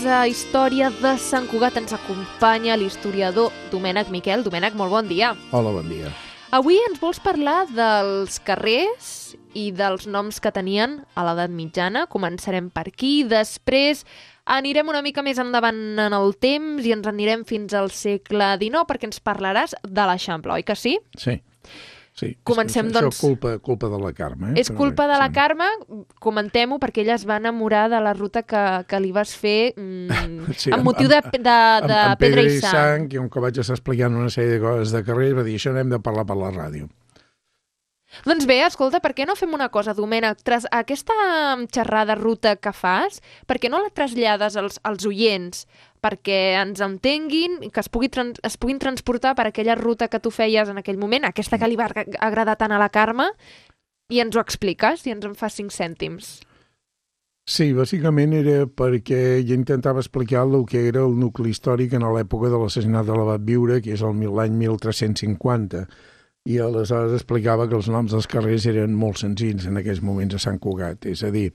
a Història de Sant Cugat ens acompanya l'historiador Domènec Miquel. Domènec, molt bon dia. Hola, bon dia. Avui ens vols parlar dels carrers i dels noms que tenien a l'edat mitjana. Començarem per aquí, després anirem una mica més endavant en el temps i ens anirem fins al segle XIX perquè ens parlaràs de l'Eixample, oi que sí? Sí. Comencem, doncs... Això culpa de la Carme. És culpa de la Carme, comentem-ho, perquè ella es va enamorar de la ruta que li vas fer amb motiu de Pedra i Sang. I com que vaig estar explicant una sèrie de coses de carrer, va dir, això n'hem de parlar per la ràdio. Doncs bé, escolta, per què no fem una cosa, Domènec? Aquesta xerrada ruta que fas, per què no la trasllades als oients perquè ens entenguin, que es puguin transportar per aquella ruta que tu feies en aquell moment, aquesta que li va agradar tant a la Carme, i ens ho expliques i ens en fas 5 cèntims? Sí, bàsicament era perquè jo intentava explicar el que era el nucli històric en l'època de l'assassinat de l'Abat Biure, que és l'any 1350, i aleshores explicava que els noms dels carrers eren molt senzills en aquells moments a Sant Cugat. És a dir,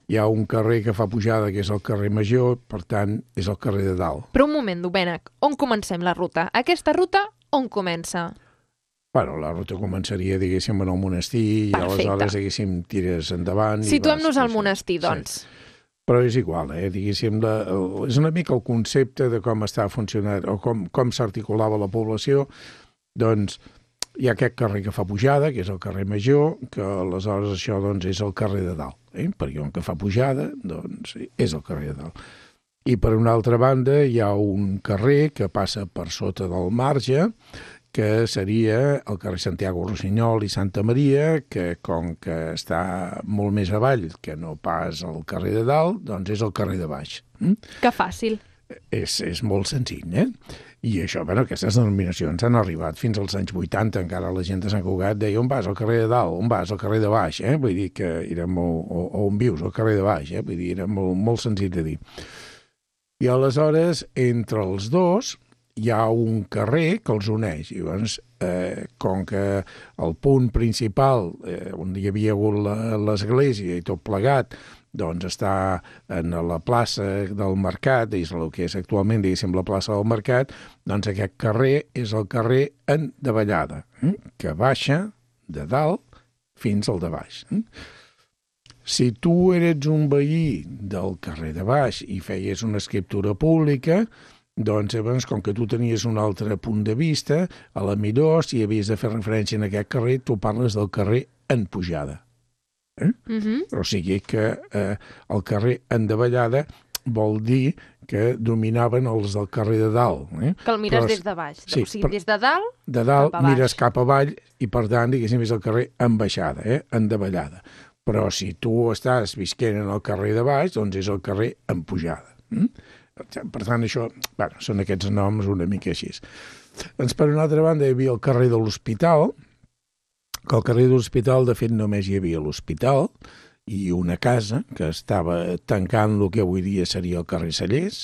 hi ha un carrer que fa pujada, que és el carrer Major, per tant, és el carrer de dalt. Però un moment, Domènec, on comencem la ruta? Aquesta ruta, on comença? Bueno, la ruta començaria, diguéssim, en el monestir. Perfecte. I aleshores, diguéssim, tires endavant. Situem-nos al monestir, doncs. Sí. Però és igual, diguéssim, és una mica el concepte de com està funcionant o com s'articulava la població. Doncs hi ha aquest carrer que fa pujada, que és el carrer Major, que aleshores això doncs, és el carrer de dalt. Perquè on que fa pujada doncs, és el carrer de dalt. I per una altra banda hi ha un carrer que passa per sota del marge, que seria el carrer Santiago Rossinyol i Santa Maria, que com que està molt més avall que no pas el carrer de dalt, doncs és el carrer de baix. Que fàcil. És molt senzill, I això, aquestes denominacions han arribat fins als anys 80, encara la gent de Sant Cugat deia on vas, al carrer de dalt, on vas, al carrer de baix, Vull dir que era molt... O on vius, al carrer de baix, Vull dir, era molt senzill de dir. I aleshores, entre els dos, hi ha un carrer que els uneix. I llavors, com que el punt principal, on hi havia hagut l'església i tot plegat, doncs està en la plaça del Mercat, és el que és actualment, diguéssim, la plaça del Mercat, doncs aquest carrer és el carrer en davallada, que baixa de dalt fins al de baix. Si tu eres un veí del carrer de baix i feies una escriptura pública, doncs llavors, com que tu tenies un altre punt de vista, a la millor, si havies de fer referència en aquest carrer, tu parles del carrer en pujada. O sigui que el carrer en davallada vol dir que dominaven els del carrer de dalt. Que el mires des de baix. Sí, o sigui, des de dalt, de dalt cap a baix. mires cap avall i, per tant, diguéssim, és el carrer en baixada, en davallada. Però si tu estàs visquent en el carrer de baix, doncs és el carrer en pujada. Per tant, això, són aquests noms una mica així. Doncs, per una altra banda, hi havia el carrer de l'Hospital, que al carrer de l'Hospital, de fet, només hi havia l'Hospital i una casa que estava tancant el que avui dia seria el carrer Cellers,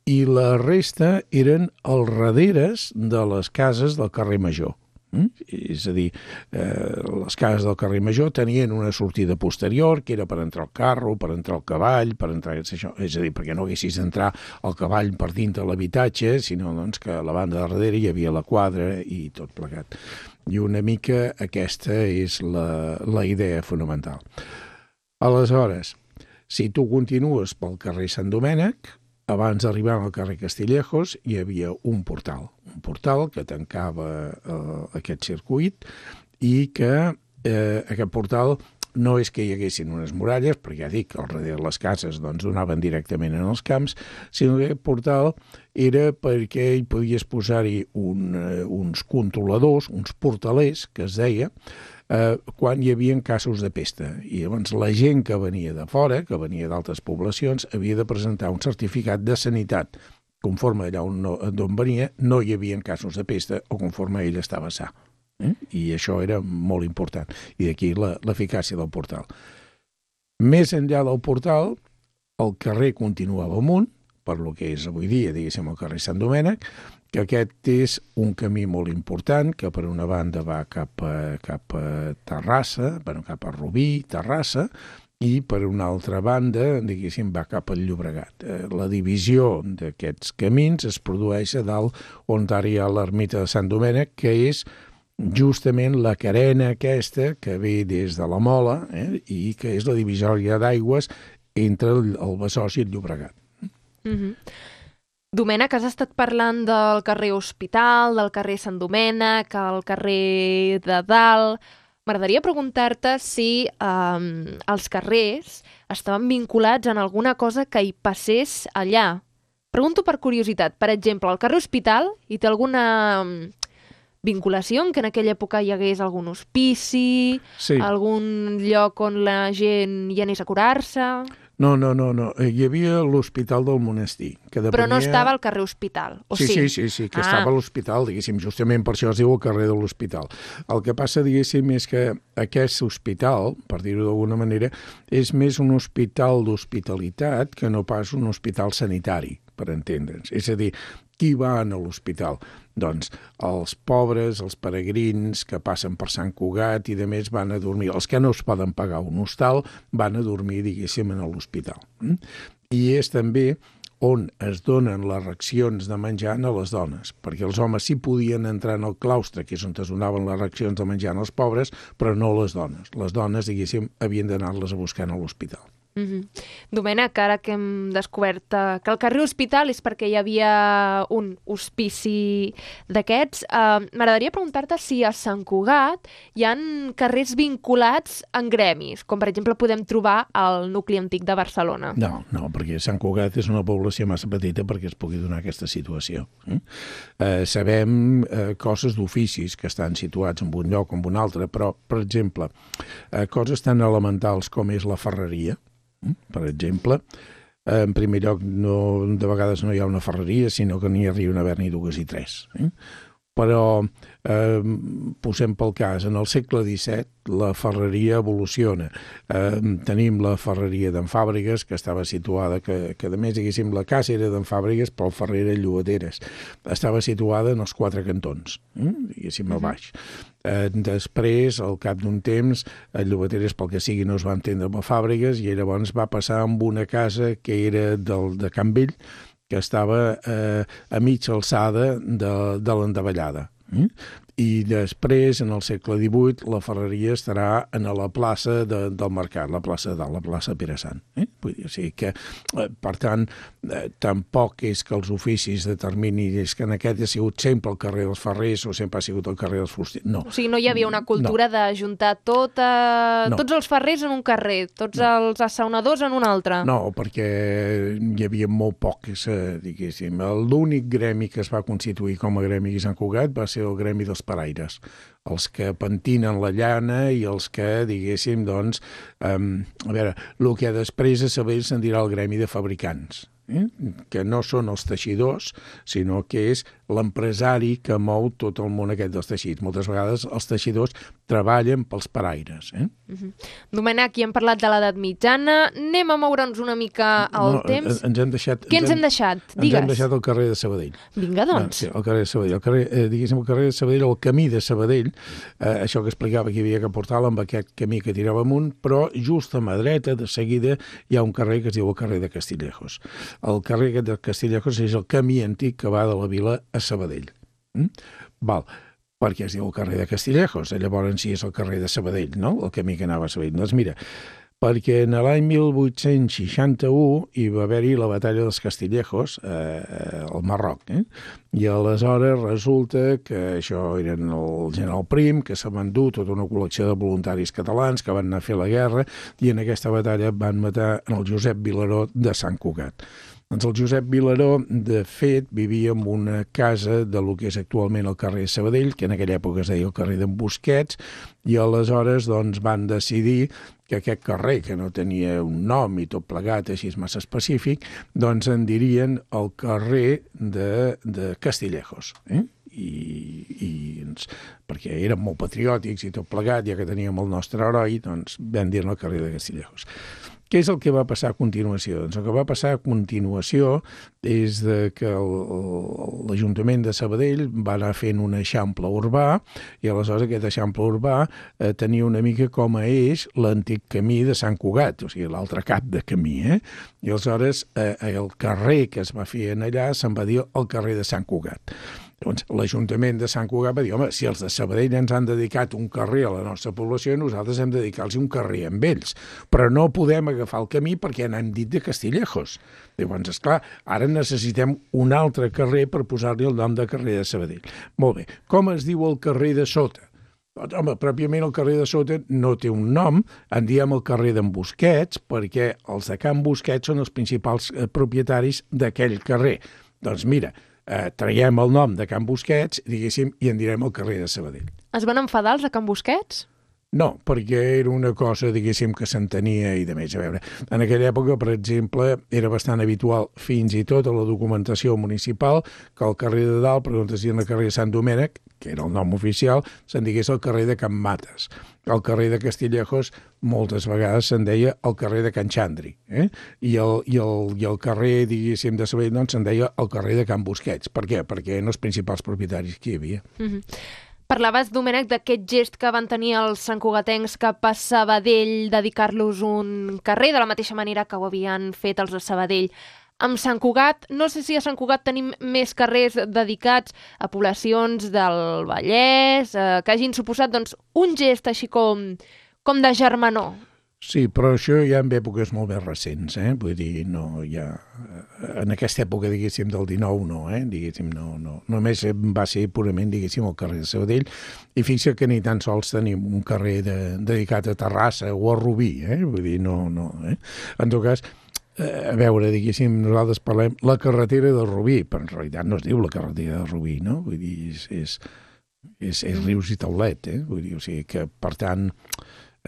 i la resta eren els darreres de les cases del carrer Major. És a dir, les cases del carrer Major tenien una sortida posterior, que era per entrar el carro, per entrar el cavall, per entrar... Això. És a dir, perquè no haguessis d'entrar el cavall per dintre l'habitatge, sinó doncs, que a la banda de darrere hi havia la quadra i tot plegat. I una mica aquesta és la idea fonamental. Aleshores, si tu continues pel carrer Sant Domènec, abans d'arribar al carrer Castillejos hi havia un portal que tancava aquest circuit i que aquest portal no és que hi haguessin unes muralles, perquè ja dic que al darrere les cases doncs, donaven directament en els camps, sinó que aquest portal era perquè hi podies posar-hi uns controladors, uns portalers, que es deia, quan hi havia casos de pesta. I llavors la gent que venia de fora, que venia d'altres poblacions, havia de presentar un certificat de sanitat. Conforme allà on venia, no hi havia casos de pesta o conforme ell estava sa. I això era molt important. I d'aquí l'eficàcia del portal. Més enllà del portal, el carrer continuava amunt, per lo que és avui dia, diguéssim, el carrer Sant Domènec, que aquest és un camí molt important, que per una banda va cap a Terrassa, cap a Rubí, Terrassa, i per una altra banda, diguéssim, va cap al Llobregat. La divisió d'aquests camins es produeix a dalt on ara hi ha l'ermita de Sant Domènec, que és justament la carena aquesta que ve des de la Mola i que és la divisòria d'aigües entre el Besòs i el Llobregat. Domènec, has estat parlant del carrer Hospital, del carrer Sant Domènec, el carrer de Dalt. M'agradaria preguntar-te si els carrers estaven vinculats en alguna cosa que hi passés allà. Pregunto per curiositat. Per exemple, el carrer Hospital hi té alguna vinculació en que en aquella època hi hagués algun hospici, algun lloc on la gent hi anés a curar-se? No. Hi havia l'Hospital del Monestir. Que depenia... Però no estava al carrer Hospital, o sí? Sí, que estava a l'Hospital, diguéssim, justament per això es diu el carrer de l'Hospital. El que passa, diguéssim, és que aquest hospital, per dir-ho d'alguna manera, és més un hospital d'hospitalitat que no pas un hospital sanitari, per entendre'ns. És a dir, qui va a l'hospital? Doncs els pobres, els peregrins que passen per Sant Cugat i de més van a dormir. Els que no es poden pagar un hostal van a dormir, diguéssim, a l'hospital. I és també on es donen les racions de menjar a les dones, perquè els homes sí podien entrar en el claustre, que és on es donaven les racions de menjar als pobres, però no les dones. Les dones, diguéssim, havien d'anar-les a buscar a l'hospital. Domènec, ara que hem descobert que el carrer Hospital és perquè hi havia un hospici d'aquests, m'agradaria preguntar-te si a Sant Cugat hi ha carrers vinculats en gremis, com per exemple podem trobar al nucli antic de Barcelona. No, perquè Sant Cugat és una població massa petita perquè es pugui donar aquesta situació. Sabem coses d'oficis que estan situats en un lloc o en un altre, però, per exemple, coses tan elementals com és la ferreria, per exemple, en primer lloc, de vegades no hi ha una ferreria, sinó que n'hi arriben a haver-n'hi dues i tres. Però posem pel cas, en el segle XVII la ferreria evoluciona. Tenim la ferreria d'en Fàbregues, que estava situada, que a més, diguéssim, la casa era d'en Fàbregues, però el ferrer era Llobateres. Estava situada en els quatre cantons, diguéssim, a baix. Després, al cap d'un temps, el Llobateres, pel que sigui, no es va entendre amb el Fàbregues i llavors va passar amb una casa que era de Can Vell, que estava a mitja alçada de l'Endavellada. I després, en el segle XVIII, la ferreria estarà en la plaça del Mercat, la plaça de Dalt, la plaça Pere Sant. Vull dir, o sigui que, per tant, tampoc és que els oficis determinin, és que en aquest ha sigut sempre el carrer dels ferrers o sempre ha sigut el carrer dels fusters. No. O sigui, no hi havia una cultura d'ajuntar tots els ferrers en un carrer, tots els assaonadors en un altre. No, perquè hi havia molt pocs, diguéssim. L'únic gremi que es va constituir com a gremi a Sant Cugat va ser el gremi dels paraires, els que pentinen la llana i els que, diguéssim, doncs, a veure, el que després a saber se'n dirà el gremi de fabricants, que no són els teixidors, sinó que és l'empresari que mou tot el món aquest dels teixits. Moltes vegades els teixidors treballen pels paraires. Domènec, aquí hem parlat de l'edat mitjana. Anem a moure'ns una mica al temps. Ens hem deixat... Què ens hem deixat? Digues. Ens hem deixat el carrer de Sabadell. Vinga, doncs. Sí, el carrer de Sabadell. Diguéssim, el carrer de Sabadell, el camí de Sabadell, això que explicava que hi havia que portar-la amb aquest camí que tirava amunt, però just a mà dreta, de seguida, hi ha un carrer que es diu el carrer de Castillejos. El carrer de Castillejos és el camí antic que va de la vila a Sabadell. Val. Perquè es diu el carrer de Castillejos, llavors sí és el carrer de Sabadell, no? El camí que anava a Sabadell. Doncs mira, perquè en l'any 1861 hi va haver-hi la batalla dels Castillejos al Marroc, i aleshores resulta que això eren el general Prim, que s'ha endut tota una col·lecció de voluntaris catalans que van anar a fer la guerra i en aquesta batalla van matar el Josep Vilaró de Sant Cugat. Doncs el Josep Vilaró, de fet, vivia en una casa de lo que és actualment el carrer de Sabadell, que en aquella època es deia el carrer d'en Busquets, i aleshores doncs, van decidir que aquest carrer, que no tenia un nom i tot plegat així massa específic, doncs en dirien el carrer de Castillejos. Perquè érem molt patriòtics i tot plegat, ja que teníem el nostre heroi, doncs vam dir-ne el carrer de Castillejos. Què és el que va passar a continuació? Doncs el que va passar a continuació és que l'Ajuntament de Sabadell va anar fent un eixample urbà i aleshores aquest eixample urbà tenia una mica com a eix l'antic camí de Sant Cugat, o sigui, l'altre cap de camí, I aleshores el carrer que es va fer allà se'n va dir el carrer de Sant Cugat. Llavors, l'Ajuntament de Sant Cugat va dir, home, si els de Sabadell ens han dedicat un carrer a la nostra població, nosaltres hem de dedicar-los un carrer amb ells, però no podem agafar el camí perquè n'hem dit de Castillejos. Llavors, esclar, ara necessitem un altre carrer per posar-li el nom de carrer de Sabadell. Molt bé, com es diu el carrer de sota? Doncs, home, pròpiament el carrer de sota no té un nom, en diem el carrer d'en Busquets, perquè els de Can Busquets són els principals propietaris d'aquell carrer. Doncs mira, traiem el nom de Can Busquets, diguéssim, i en direm el carrer de Sabadell. Es van enfadar els de Can Busquets? No, perquè era una cosa, diguéssim, que s'entenia i de més. A veure, en aquella època, per exemple, era bastant habitual, fins i tot a la documentació municipal, que el carrer de dalt, per on es diuen el carrer de Sant Domènec, que era el nom oficial, se'n digués el carrer de Can Mates. El carrer de Castillejos moltes vegades se'n deia el carrer de Can Xandri. I el carrer, diguéssim, de Sabadell, doncs, se'n deia el carrer de Can Busquets. Per què? Perquè eren els principals propietaris que hi havia. Parlaves, Domènec, d'aquest gest que van tenir els santcugatencs cap a Sabadell, dedicar-los un carrer, de la mateixa manera que ho havien fet els de Sabadell amb Sant Cugat. No sé si a Sant Cugat tenim més carrers dedicats a poblacions del Vallès, que hagin suposat doncs, un gest així com de germanor. Sí, però això ja en èpoques molt més recents, Vull dir, no, ja... En aquesta època, diguéssim, del 19, no, Diguéssim, no. Només va ser purament, diguéssim, el carrer de Sabadell, i fixa que ni tan sols tenim un carrer dedicat a Terrassa o a Rubí, Vull dir, no. En tot cas, a veure, diguéssim, nosaltres parlem la carretera de Rubí, però en realitat no es diu la carretera de Rubí, no? Vull dir, és Rius i Taulet, Vull dir, o sigui que, per tant...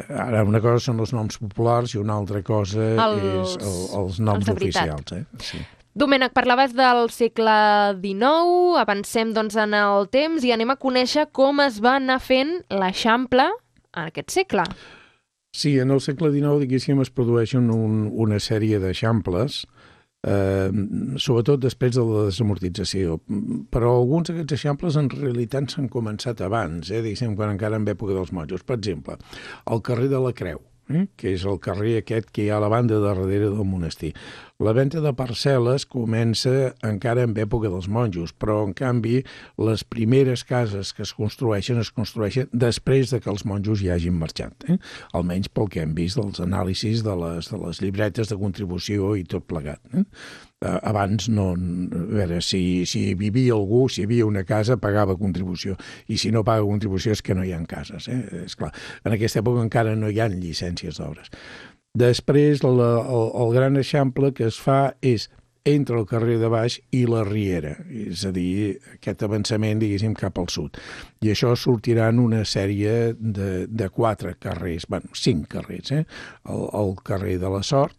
Ara, una cosa són els noms populars i una altra cosa és els noms oficials. Sí. Domènec, parlaves del segle XIX, avancem doncs, en el temps i anem a conèixer com es va anar fent l'Eixample en aquest segle. Sí, en el segle XIX, diguéssim, es produeixen una sèrie d'eixamples, sobretot després de la desamortització. Però alguns d'aquests eixamples en realitat s'han començat abans, diguéssim, quan encara en època dels monjos. Per exemple, el carrer de la Creu, que és el carrer aquest que hi ha a la banda darrere del monestir. La venda de parcel·les comença encara en època dels monjos, però en canvi les primeres cases que es construeixen després de que els monjos ja hagin marxat, almenys pel que hem vist dels anàlisis de les llibretes de contribució i tot plegat. Abans no, a veure, si vivia algú, si hi havia una casa, pagava contribució, i si no paga contribució és que no hi ha cases, és clar. En aquesta època encara no hi ha llicències d'obres. Després, el gran eixample que es fa és entre el carrer de baix i la Riera, és a dir, aquest avançament, diguéssim, cap al sud. I això sortiran una sèrie de 4 carrers, 5 carrers, el carrer de la Sort,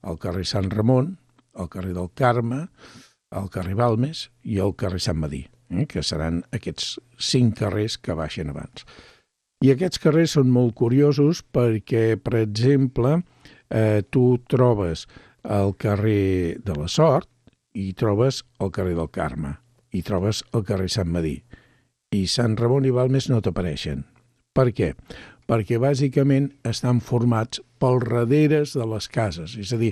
el carrer Sant Ramon, el carrer del Carme, el carrer Balmes i el carrer Sant Madí, que seran aquests 5 carrers que baixen abans. I aquests carrers són molt curiosos perquè, per exemple, tu trobes el carrer de la Sort i trobes el carrer del Carme i trobes el carrer Sant Madí. I Sant Ramon i Balmes no t'apareixen. Per què? Perquè bàsicament estan formats pels darreres de les cases. És a dir,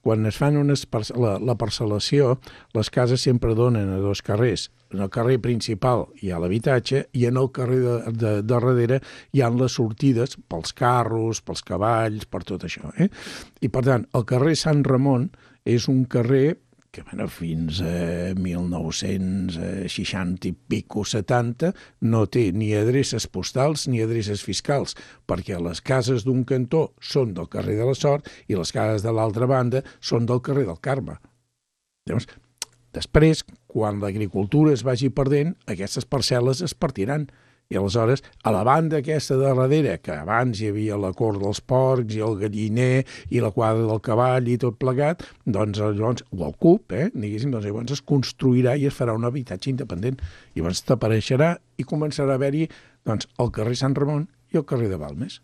quan es fan la parcel·lació, les cases sempre donen a 2 carrers. En el carrer principal hi ha l'habitatge i en el carrer de darrere hi ha les sortides pels carros, pels cavalls, per tot això. I per tant, el carrer Sant Ramon és un carrer que fins a 1960 i pico, 70, no té ni adreces postals ni adreces fiscals, perquè les cases d'un cantó són del carrer de la Sort i les cases de l'altra banda són del carrer del Carme. Llavors, després, quan l'agricultura es vagi perdent, aquestes parcel·les es partiran. I aleshores, a la banda aquesta de darrere, que abans hi havia la cort dels porcs i el galliner i la quadra del cavall i tot plegat, doncs llavors, o el CUP, diguéssim, doncs llavors es construirà i es farà un habitatge independent. I llavors t'apareixerà i començarà a haver-hi doncs, el carrer Sant Ramon i el carrer de Balmes.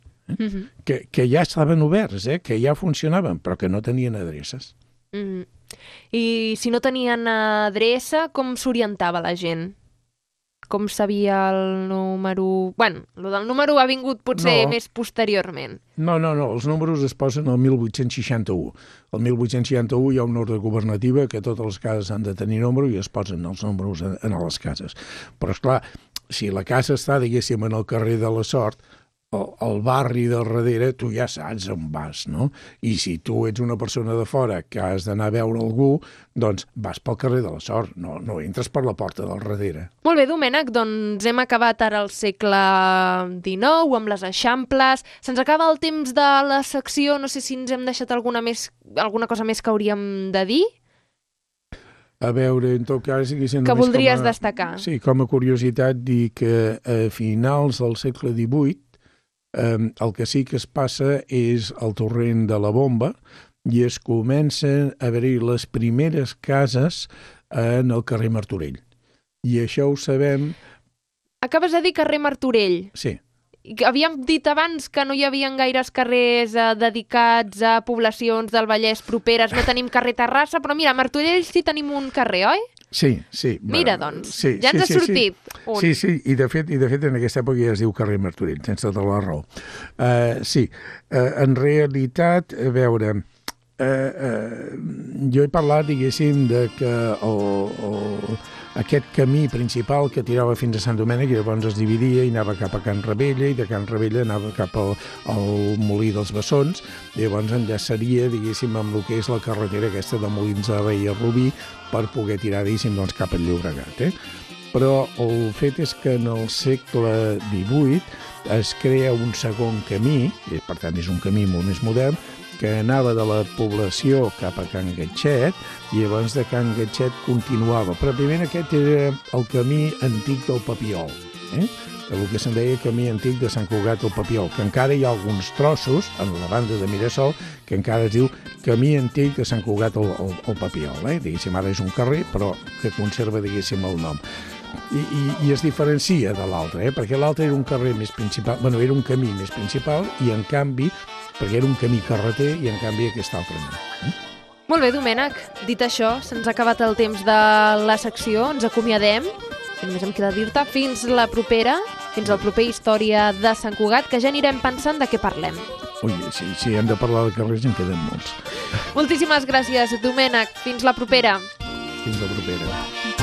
que ja estaven oberts, que ja funcionaven, però que no tenien adreces. I si no tenien adreça, com s'orientava la gent? Com sabia el número... Bueno, el del número ha vingut potser més posteriorment. No, els números es posen al 1861. Al 1861 hi ha una ordre governativa que totes les cases han de tenir número i es posen els números en les cases. Però, esclar, si la casa està, diguéssim, en el carrer de la Sort, al barri del darrere, tu ja saps on vas, no? I si tu ets una persona de fora que has d'anar a veure algú, doncs vas pel carrer de la Sort, no entres per la porta del darrere. Molt bé, Domènec, doncs hem acabat ara el segle XIX amb les Eixamples. Se'ns acaba el temps de la secció, no sé si ens hem deixat alguna cosa més que hauríem de dir. A veure, en tot cas... Que voldries destacar. Sí, com a curiositat, dir que a finals del segle XVIII el que sí que es passa és el torrent de la Bomba i es comencen a haver-hi les primeres cases en el carrer Martorell. I això ho sabem... Acabes de dir carrer Martorell. Sí. Havíem dit abans que no hi havia gaires carrers dedicats a poblacions del Vallès properes, no tenim carrer Terrassa, però mira, a Martorell sí tenim un carrer, oi? Sí. Mira, doncs, ja ens ha sortit un. Sí, i de fet en aquesta època ja es diu carrer Martorell, tens tota la raó. En realitat, a veure, jo he parlat, diguéssim, de que aquest camí principal que tirava fins a Sant Domènec i llavors es dividia i anava cap a Can Ravella i de Can Ravella anava cap al Molí dels Bessons i llavors enllaçaria, diguéssim, amb el que és la carretera aquesta de Molins de Rei a Rubí per poder tirar, diguéssim, doncs, cap al Llobregat. Però el fet és que en el segle XVIII es crea un segon camí, i per tant és un camí molt més modern, que anava de la població cap a Can Gatxet i llavors de Can Gatxet continuava. Però primer aquest era el camí antic del Papiol, el que se'n deia camí antic de Sant Cugat del Papiol, que encara hi ha alguns trossos, en la banda de Mirasol, que encara es diu camí antic de Sant Cugat al Papiol. Diguéssim, ara és un carrer, però que conserva, diguéssim, el nom. I es diferencia de l'altre, perquè l'altre era un carrer més principal, era un camí més principal i en canvi, perquè era un camí carreter i en canvi aquest altre no. Molt bé, Domènec, dit això, se'ns ha acabat el temps de la secció, ens acomiadem, i només em queda dir-te fins la propera, fins al proper Història de Sant Cugat, que ja anirem pensant de què parlem. Ui, si hem de parlar de carrers en queden molts. Moltíssimes gràcies, Domènec, fins la propera. Fins la propera.